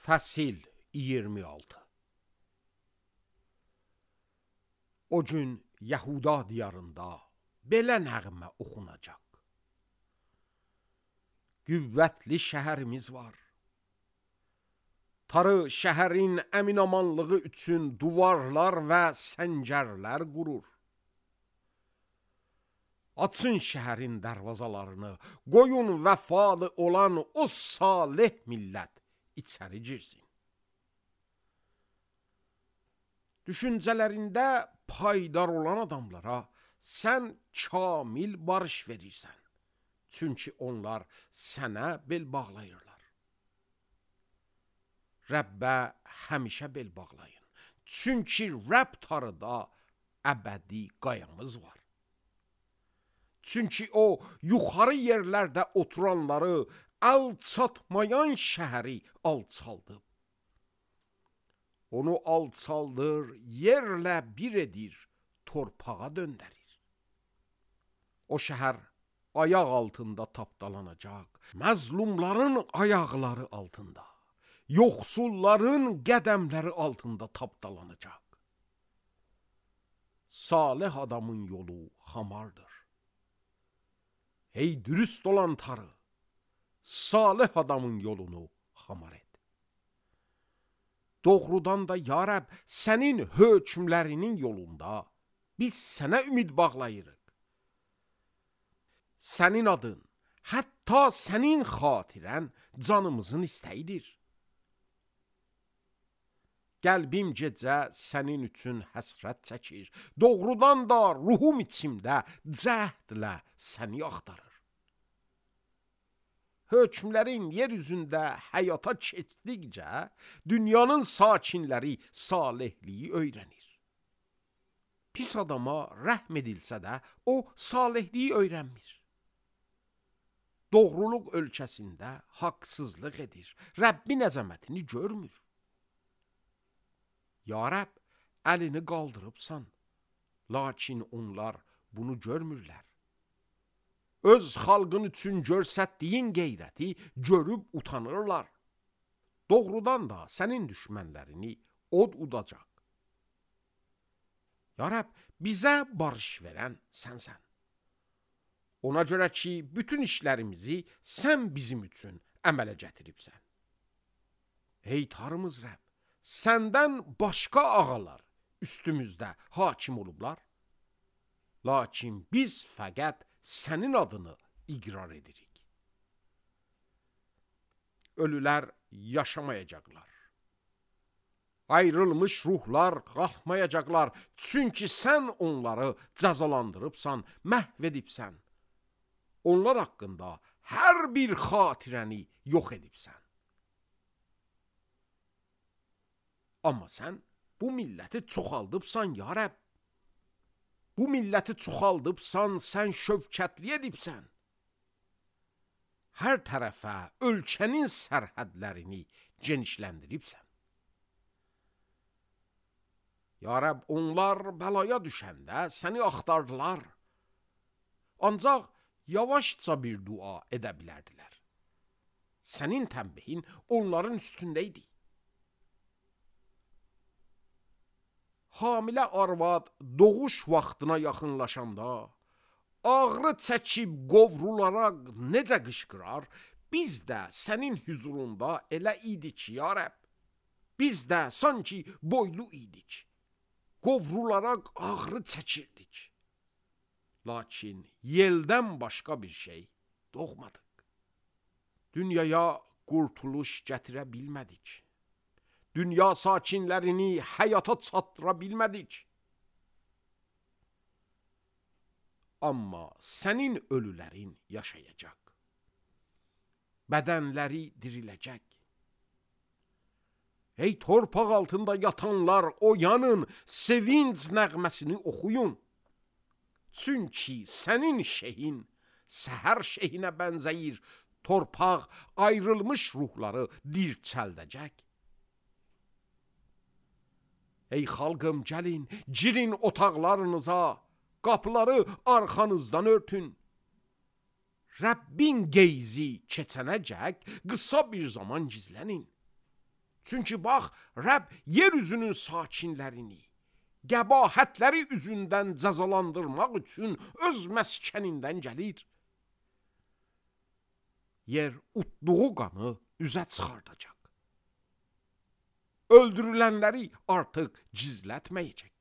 Fəsil 26. O gün Yəhuda diyarında belə nəğmə oxunacaq. Qüvvətli şəhərimiz var. Tarı şəhərin əminamanlığı üçün duvarlar və səncərlər qurur. Açın şəhərin dərvazalarını, qoyun vəfalı olan o salih millət içəri girsin. Düşüncələrində paydar olan adamlara sən kamil barış verirsən. Çünki onlar sənə bel bağlayırlar. Rəbbə həmişə bel bağlayın. Çünki Rəbb tarıda əbədi qayamız var. Çünki o, yuxarı yerlərdə oturanları, alçatmayan şəhəri alçaldıb. Onu alçaldır, yerlə bir edir, torpağa döndərir. O şəhər ayaq altında tapdalanacaq, məzlumların ayaqları altında, yoxsulların qədəmləri altında tapdalanacaq. Salih adamın yolu hamardır. Ey dürüst olan tarı, salih adamın yolunu hamar et. Doğrudan da ya Rəbb, sənin hökmlərinin yolunda biz sənə ümid bağlayırıq. Sənin adın, hətta sənin xatirən canımızın istəyidir. Qəlbim gecə sənin üçün həsrət çəkir. Doğrudan da ruhum içimdə cəhdlə səni axtarır. Hökmlərin yer üzündə həyata keçdikcə, dünyanın sakinləri salihliyi öyrənir. Pis adama rəhm edilsə də, o salihliyi öyrənmir. Doğruluq ölkəsində haqsızlıq edir, Rəbbin əzəmətini görmür. Ya Rəbb, əlini qaldırıbsan, lakin onlar bunu görmürlər. Öz xalqın üçün görsətdiyin qeyrəti görüb utanırlar. Doğrudan da sənin düşmənlərini od udacaq. Ya Rəbb, bizə barış verən sənsən. Ona görə ki, bütün işlərimizi sən bizim üçün əmələ gətiribsən. Ey tarımız Rəbb, səndən başqa ağalar üstümüzdə hakim olublar. Lakin biz fəqət sənin adını iqrar edirik. Ölülər yaşamayacaqlar. Ayrılmış ruhlar qalxmayacaqlar. Çünki sən onları cəzalandırıbsan, məhv edibsən. Onlar haqqında hər bir xatirəni yox edibsən. Amma sən bu milləti çoxaldıbsan, ya Rəbb. Bu milləti çoxaldıbsan, sən şövkətli edibsən. Hər tərəfə ölkənin sərhədlərini genişləndiribsən. Ya Rəbb, onlar bəlaya düşəndə səni axtardılar. Ancaq yavaşca bir dua edə bilərdilər. Sənin tənbihin onların üstündə idi. Hamilə arvad doğuş vaxtına yaxınlaşanda, ağrı çəkib qovrularaq necə qışqırar, biz də sənin hüzurunda elə idik, ya Rəbb. Biz də sanki boylu idik. Qovrularaq ağrı çəkirdik. Lakin yeldən başqa bir şey doğmadıq. Dünyaya qurtuluş gətirə bilmədik. Dünya sakinlərini həyata çatdıra bilmədik. Amma sənin ölülərin yaşayacaq. Bədənləri diriləcək. Ey torpaq altında yatanlar, oyanın, sevinç nəğməsini oxuyun. Çünki sənin şeyin səhər şeyinə bənzəyir, torpaq ayrılmış ruhları dirçəldəcək. Ey xalqım, gəlin, girin otaqlarınıza, qapıları arxanızdan örtün. Rəbbin qeyzi keçənəcək qısa bir zaman gizlənin. Çünki bax, Rəbb yer üzünün sakinlərini qəbahətləri üzündən cəzalandırmaq üçün öz məskənindən gəlir. Yer utduğu qanı üzə çıxardacaq. Öldürülənləri artıq gizlətməyəcək.